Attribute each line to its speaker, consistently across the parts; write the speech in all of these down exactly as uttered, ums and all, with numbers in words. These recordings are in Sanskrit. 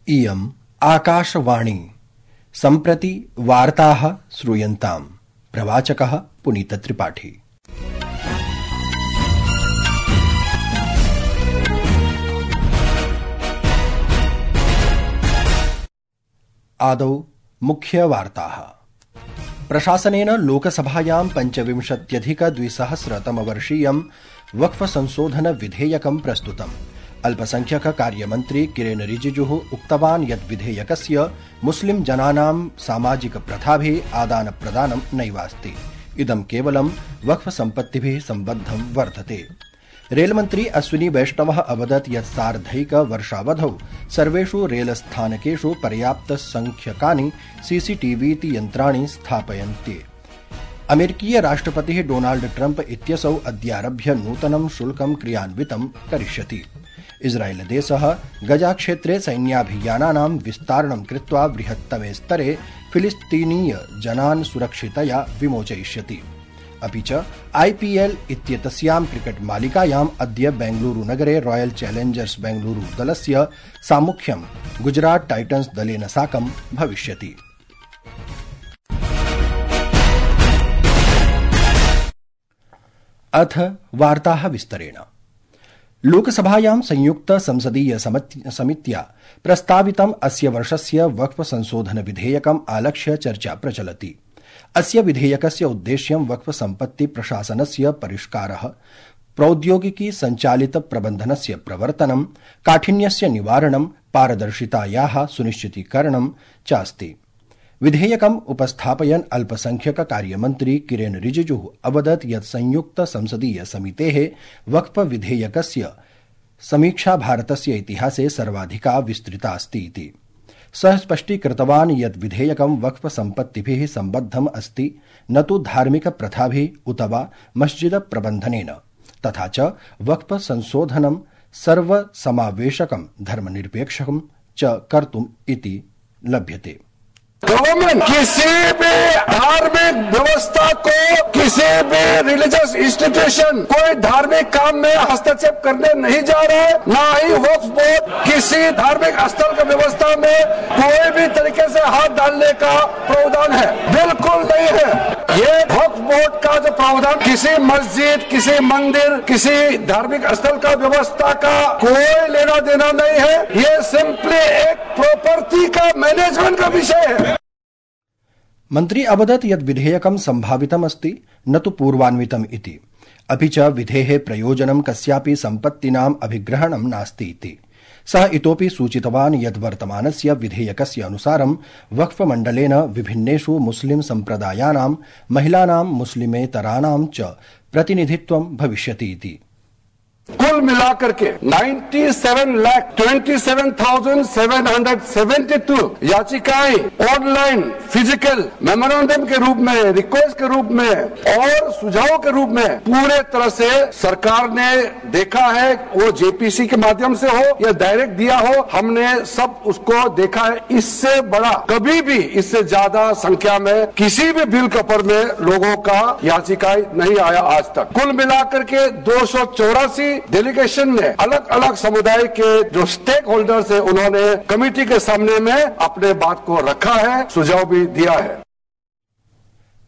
Speaker 1: इयम् आकाशवाणी सम्प्रति वार्ताः श्रूयन्ताम्। प्रवाचकः पुनीतत्रिपाठी। आदौ मुख्यवार्ताः। प्रशासनेन लोकसभायां पञ्चविंशत्यधिकद्विसहस्रतमवर्षीयं वक्फ संशोधन विधेयकं प्रस्तुतम्। अल्पसंख्यक कार्यमन्त्री किरेन रिजिजुः उक्तवान् यत् विधेयकस्य मुस्लिम जनानां सामाजिक प्रथाभिः आदान प्रदानं नैवास्ति। इदं केवलं वक्फ सम्पत्तिभिः सम्बद्धं वर्तते। रेलमन्त्री अश्विनी वैष्णवः अवदत् यत् सार्धैक वर्षावधौ सर्वेषु रेलस्थानकेषु पर्याप्तसंख्यकानि सीसीटीवीति यन्त्राणि स्थापयन्ते। अमेरिकीय राष्ट्रपतिः डोनाल्ड ट्रम्प इत्यसौ अद्यारभ्य नूतनं शुल्कं क्रियान्वितं करिष्यति। इस्राएलदेशः गजाक्षेत्रे सैन्याभियानानां विस्तारणं कृत्वा बृहत्तमे स्तरे फिलिस्तीनीय जनान् सुरक्षितया विमोचयिष्यति। अपि च आईपीएल इत्येतस्यां क्रिकेट मालिकायाम् अद्य बेंगलुरुनगरे रॉयल चैलेंजर्स बेंगलुरु दलस्य सामुख्यं गुजरात टाइटन्स दलेन साकं भविष्यति। अथ वार्ताः विस्तरेण। लोकसभायां संयुक्त संसदीय समित्या प्रस्तावितम् अस्य वर्षस्य वक्फ संशोधन विधेयकम् आलक्ष्य चर्चा प्रचलति। अस्य विधेयकस्य उद्देश्यं वक्फ सम्पत्ति प्रशासनस्य परिष्कारः, प्रौद्योगिकी संचालित प्रबन्धनस्य प्रवर्तनं, काठिन्यस्य निवारणं, पारदर्शितायाः सुनिश्चितीकरणं च अस्ति। विधेयकम् उपस्थापयन् अल्पसंख्यक कार्यमन्त्री किरेन रिजिजुः अवदत् यत् संयुक्त संसदीय समितेः वक्फ विधेयकस्य समीक्षा भारतस्य इतिहासे सर्वाधिका विस्तृता अस्ति इति। सः स्पष्टीकृतवान् यत् विधेयकं वक्फ सम्पत्तिभिः सम्बद्धम् अस्ति, न तु धार्मिक प्रथाभिः उत वा मस्जिद प्रबन्धनेन। तथा च वक्फ संशोधनं सर्वसमावेशकं धर्मनिरपेक्षं च कर्तुम् इति लभ्यते।
Speaker 2: गवर्नमेंट किसी भी धार्मिक व्यवस्था को, किसी भी रिलीजियस इंस्टीट्यूशन कोई धार्मिक काम में हस्तक्षेप करने नहीं जा रहा है। ना ही वक्फ बोर्ड किसी धार्मिक स्थल की व्यवस्था में कोई भी तरीके से हाथ डालने का प्रावधान है, बिल्कुल नहीं है। ये वक्फ बोर्ड का जो प्रावधान किसी मस्जिद, किसी मंदिर, किसी धार्मिक स्थल का व्यवस्था का कोई लेना देना नहीं है। ये सिंपली एक प्रॉपर्टी का मैनेजमेंट का विषय है।
Speaker 1: मन्त्री अवदत् यत् विधेयकं सम्भावितमस्ति, न तु पूर्वान्वितम् इति। अपि च विधेः प्रयोजनं कस्यापि सम्पत्तीनाम् अभिग्रहणं नास्ति इति। सः इतोपि सूचितवान् यत् वर्तमानस्य विधेयकस्य अनुसारं वक्फ मण्डलेन विभिन्नेषु मुस्लिम सम्प्रदायानां महिलानां मुस्लिमेतराणां च प्रतिनिधित्वं भविष्यति इति।
Speaker 2: कुल मिलाकर के सत्तानवे लाख सत्ताईस हज़ार सात सौ बहत्तर याचिकाएं ऑनलाइन, फिजिकल, मेमोरेंडम के रूप में, रिक्वेस्ट के रूप में और सुझाव के रूप में पूरे तरह से सरकार ने देखा है। वो जेपीसी के माध्यम से हो या डायरेक्ट दिया हो, हमने सब उसको देखा है। इससे बड़ा कभी भी, इससे ज्यादा संख्या में किसी भी बिल के ऊपर में लोगों का याचिकाएं नहीं आया आज तक। कुल मिलाकर के दो सौ चौरासी डेलीगेशन ने अलग अलग समुदाय के जो स्टेक होल्डर्स है, उन्होंने कमेटी के सामने में अपने बात को रखा है, सुझाव भी दिया है।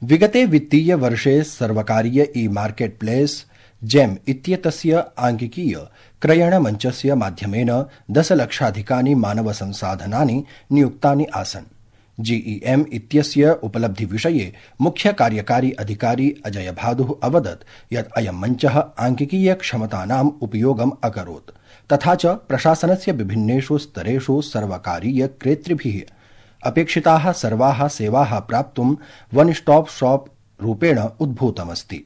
Speaker 1: विगते वित्तीय वर्षे सर्वकारीय ई मार्केट प्लेस जेम इत्येतस्य आंकिकीय क्रयणमञ्चस्य माध्यमेन दशलक्षाधिकानि मानव संसाधनानि नियुक्तानि आसन्। जीईएम इत्यस्य उपलब्धिविषये मुख्य कार्यकारी अधिकारी अजय भादुः अवदत् यत् अयं मञ्चः आंकिकीय क्षमतानाम् उपयोगम् अकरोत्, तथा च प्रशासनस्य विभिन्नेषु स्तरेषु सर्वकारीय क्रेतृभिः अपेक्षिताः सर्वाः सेवाः प्राप्तुं वन स्टॉप शॉप रूपेण उद्भूतमस्ति।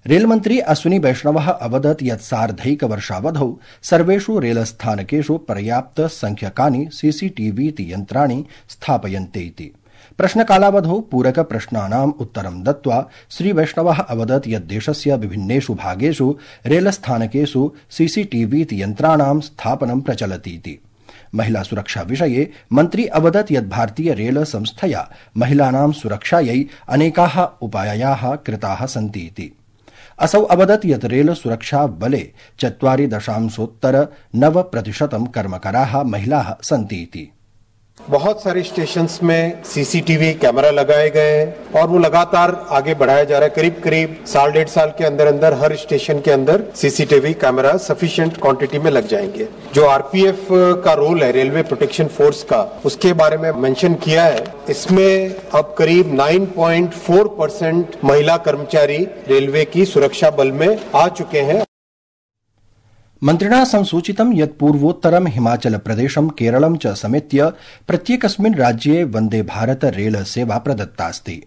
Speaker 1: रेलमन्त्री अश्विनी वैष्णवः अवदत् यत् सार्धैक वर्षावधौ सर्वेषु रेलस्थानकेषु पर्याप्त संख्यकानि सीसीटीवीति यन्त्राणि स्थापयन्ते इति। प्रश्नकालावधौ पूरक प्रश्नानाम् उत्तरं दत्त्वा श्रीवैष्णवः अवदत् यत् देशस्य विभिन्नेषु भागेषु रेलस्थानकेषु सीसीटीवीति यन्त्राणां स्थापनं प्रचलति इति। महिला सुरक्षा विषये मन्त्री अवदत् यत् भारतीय रेल संस्थया महिलानां सुरक्षायै अनेकाः उपायाः कृताः सन्ति इति। असौ अवदत् यत् रेल सुरक्षा बले चत्वारि दशांशोत्तर नव प्रतिशतं कर्मकराः महिलाः सन्ति इति।
Speaker 3: बहुत सारे स्टेशंस में सीसीटीवी कैमरा लगाए गए हैं और वो लगातार आगे बढ़ाया जा रहा है। करीब करीब साल डेढ़ साल के अंदर अंदर हर स्टेशन के अंदर सीसीटीवी कैमरा सफिशिएंट क्वांटिटी में लग जाएंगे। जो आरपीएफ का रोल है रेलवे प्रोटेक्शन फोर्स का, उसके बारे में मेंशन किया है। इसमें अब करीब नौ पॉइंट चार परसेंट महिला कर्मचारी रेलवे की सुरक्षा बल में आ चुके हैं।
Speaker 1: मन्त्रिणा संसूचितं यत् पूर्वोत्तरं हिमाचल प्रदेशं केरलं च समेत्य प्रत्येकस्मिन् राज्ये वन्दे भारत रेल सेवा प्रदत्तास्ति।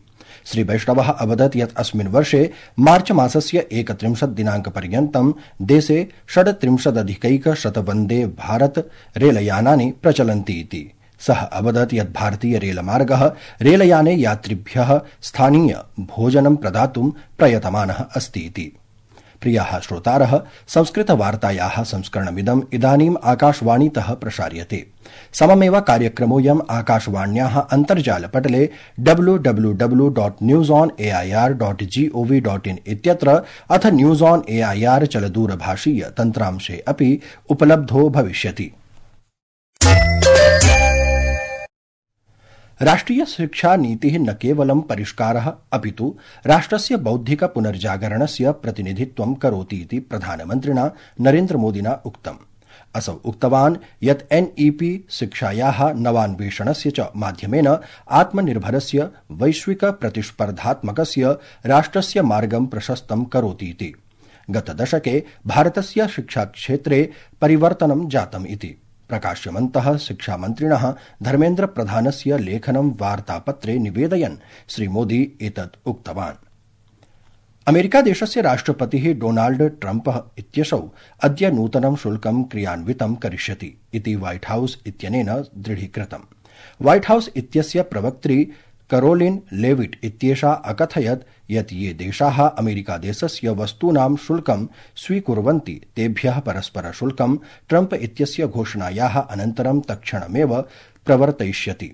Speaker 1: श्री वैष्णवः अवदत् यत् अस्मिन् वर्षे मार्च मासस्य एकत्रिंशत् दिनाङ्कपर्यन्तं देशे षड्त्रिंशदधिकैकशत वन्दे भारत रेलयानानि प्रचलन्ति इति। सः अवदत् यत् भारतीय रेलमार्गः रेलयाने यात्रिभ्यः स्थानीय भोजनं प्रदातुं प्रयतमानः अस्ति इति। प्रियाः श्रोतारः, संस्कृतवार्तायाः संस्करणमिदम् इदानीम् आकाशवाणीतः प्रसार्यते। सममेव कार्यक्रमोऽयम् आकाशवाण्याः अन्तर्जालपटले W W W dot news on A I R dot gov dot in इत्यत्र अथ news on A I R चलदूरभाषीय तन्त्रांशे अपि उपलब्धो भविष्यति। राष्ट्रिय शिक्षा नीतिः न केवलं परिष्कारः अपितु राष्ट्रस्य बौद्धिक पुनर्जागरणस्य प्रतिनिधित्वं करोति इति प्रधानमन्त्रिणा नरेन्द्रमोदिना उक्तम्। असौ उक्तवान् यत् एनईपी शिक्षायाः नवान्वेषणस्य च माध्यमेन आत्मनिर्भरस्य वैश्विक प्रतिस्पर्धात्मकस्य राष्ट्रस्य मार्गं प्रशस्तं करोति इति। गतदशके भारतस्य शिक्षाक्षेत्रे परिवर्तनं जातम् इति प्रकाश्यमन्तः शिक्षामन्त्रिणः धर्मेन्द्र प्रधानस्य लेखनं वार्तापत्रे निवेदयन् श्रीमोदी एतत् उक्तवान्। अमेरिकादेशस्य राष्ट्रपतिः डोनाल्ड ट्रम्पः इत्यसौ अद्य नूतनं शुल्कं क्रियान्वितं करिष्यति इति व्हाइट हाउस इत्यनेन दृढीकृतम्। व्हाइट हाउस इत्यस्य प्रवक्त्री करोलिन लेविट इत्येषा अकथयत् यत् ये देशाः अमेरिकादेशस्य वस्तूनां शुल्कं स्वीकुर्वन्ति तेभ्यः परस्परशुल्कं ट्रम्प इत्यस्य घोषणायाः अनन्तरं तत्क्षणमेव प्रवर्तयिष्यति,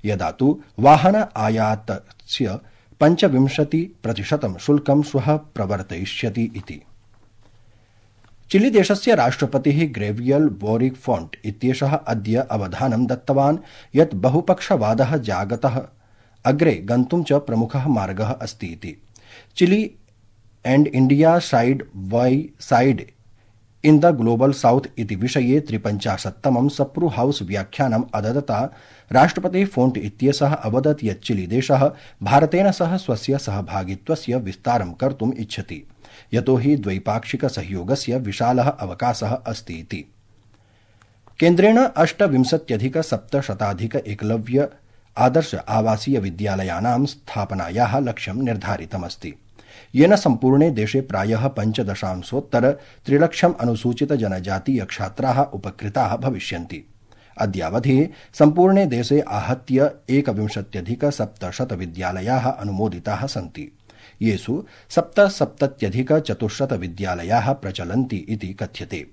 Speaker 1: यदा तु वाहन आयातस्य पञ्चविंशति प्रतिशतं शुल्कं श्वः प्रवर्तयिष्यति इति। चिलीदेशस्य राष्ट्रपतिः ग्रेवियल बोरिक फोन्ट इत्येषः अद्य अवधानं दत्तवान् यत् बहुपक्षवादः जागतः अग्रे गन्तुं च प्रमुखः मार्गः अस्ति इति। Chile and India side by side in the global south इति विषये त्रिपञ्चाशत्तमं सप्रू हाउस व्याख्यानम् अददता राष्ट्रपतिः फोन्ट इत्येषः अवदत् यत् चिलीदेशः भारतेन सह स्वस्य सहभागित्वस्य विस्तारं कर्तुम् इच्छति, यतोहि द्वैपाक्षिक सहयोगस्य विशालः अवकाशः अस्ति इति। केन्द्रेण अष्टविंशत्यधिक सप्तशताधिक एकलव्य आदर्श आवासीय विद्यालयानां स्थापनायाः लक्ष्यं निर्धारितमस्ति, येन सम्पूर्णे देशे प्रायः पञ्चदशांशोत्तर त्रिलक्षम् अनुसूचित जनजातीय छात्राः उपकृताः भविष्यन्ति। अद्यावधि सम्पूर्णे देशे आहत्य एकविंशत्यधिक सप्तशत विद्यालयाः अनुमोदिताः सन्ति, येषु सप्तसप्तत्यधिक चतुश्शत विद्यालयाः प्रचलन्ति इति कथ्यते।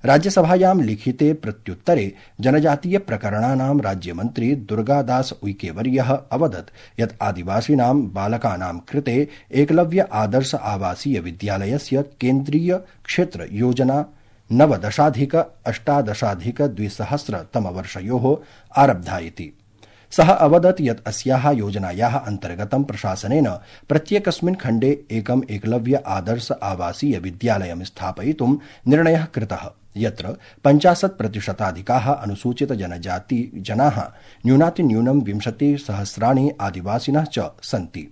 Speaker 1: राज्यसभायां लिखिते प्रत्युत्तरे जनजातीय प्रकरणानां राज्यमन्त्री दुर्गादास उइकेवर्यः अवदत् यत् आदिवासीनां बालकानां कृते एकलव्य आदर्श आवासीय विद्यालयस्य केन्द्रीय क्षेत्र योजना नवदशाधिक अष्टादशाधिक द्विसहस्रतमवर्षयोः आरब्धा इति। सः अवदत् यत् अस्याः योजनायाः अन्तर्गतं प्रशासनेन प्रत्येकस्मिन् खण्डे एकम् एकलव्य आदर्श आवासीय विद्यालयं स्थापयितुं निर्णयः कृतः, यत्र पञ्चाशत् प्रतिशताधिकाः अनुसूचित जनजाति जनाः न्यूनातिन्यूनं विंशतिसहस्राणि आदिवासिनः च सन्ति।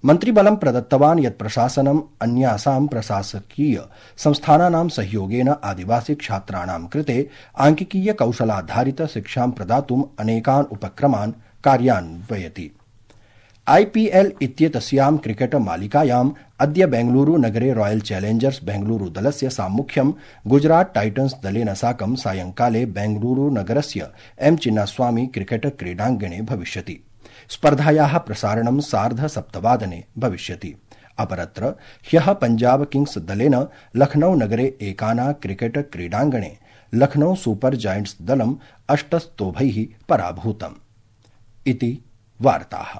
Speaker 1: मन्त्रिबलं प्रदत्तवान् यत् प्रशासनम् अन्यासां प्रशासकीय संस्थानानां सहयोगेन आदिवासी छात्राणां कृते आंकिकीय कौशलाधारित शिक्षां प्रदातुम् अनेकान् उपक्रमान् कार्यान्वयति। आईपीएल इत्येतस्यां क्रिकेट मालिकायाम् अद्य बेंगलुरू नगरे रॉयल चैलेंजर्स बेंगलुरू दलस्य साम्मुख्यं गुजरात टाइटन्स दलेन साकं सायंकाले बेंगलुरू नगरस्य एम चिन्नास्वामी क्रिकेट क्रीडाङ्गणे भविष्यति। स्पर्धायाः प्रसारणं सार्ध सप्तवादने भविष्यति। अपरत्र ह्यः पंजाब किंग्स दलेन लखनऊ नगरे एकाना क्रिकेट क्रीडाङ्गणे लखनऊ सुपर जायंट्स दलम् अष्टस्तोभैः पराभूतम् इति वार्ताः।